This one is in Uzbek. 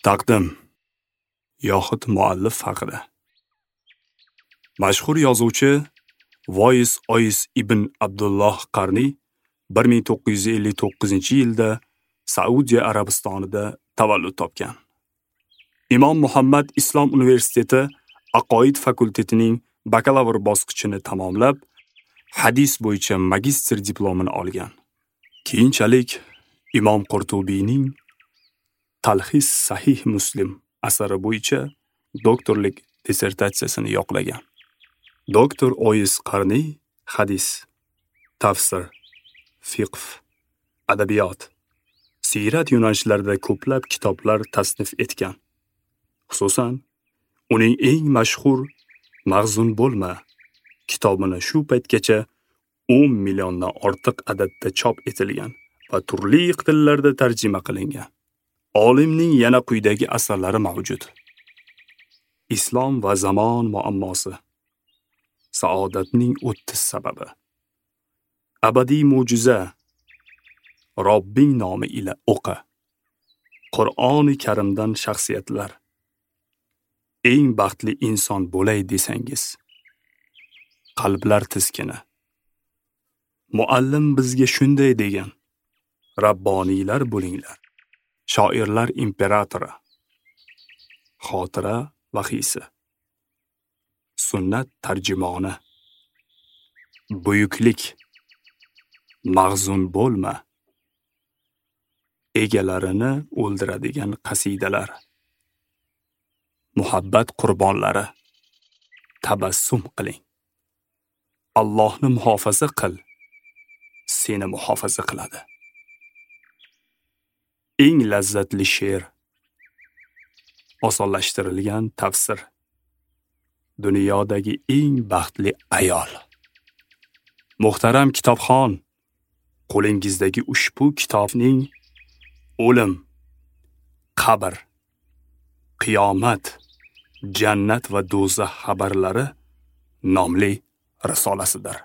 Taqdim yoxud muallif haqida. Mashhur yozuvchi Voiz Ois ibn Abdulloh Qarniy 1959-yilda Saudiya Arabistonida tavallud topgan. Imom Muhammad Islom universiteti Aqoid fakultetining bakalavr bosqichini tamomlab, hadis bo'yicha magistr diplomini olgan. Keyinchalik Imom Qurtubiyning Talxis Sahih Muslim asari bo'yicha doktorlik dissertatsiyasini yoqlagan. Doktor Ois Qarniy hadis, tafsir, fiqh, adabiyot, siyrat yo'nalishlarida ko'plab kitoblar tasnif etgan. Xususan, uning eng mashhur Mahzun bo'lma kitobini shu paytgacha 10 milliondan ortiq adadda chop etilgan va turli tillarda tarjima qilingan. Olimning yana quyidagi asarlari mavjud: Islom va zamon muammosi, Saodatning 30 sababi, Abadiy mo'jiza, Robbing nomi ila o'qi, Qur'oni Karimdan shaxsiyatlar, Eng baxtli inson bo'lay desangiz, Qalblar tizkini, Muallim bizga shunday degan, Rabboniylar bo'linglar, Shoirlar imperatori, Xotira vahiysi, Sunnat tarjimoni, Buyuklik, Mahzun bo'lma, Egalarini o'ldiradigan qasidalar, Muhabbat qurbonlari, Tabassum qiling, Allohni muhofaza qil, seni muhofaza qiladi. Eng lazzatli she'r, Osonlashtirilgan tafsir, Dunyodagi eng baxtli ayol. Muhtaram kitobxon, qo'lingizdagi ushbu kitobning o'lim, qabr, qiyomat, jannat va do'zax xabarlari nomli risolasidir.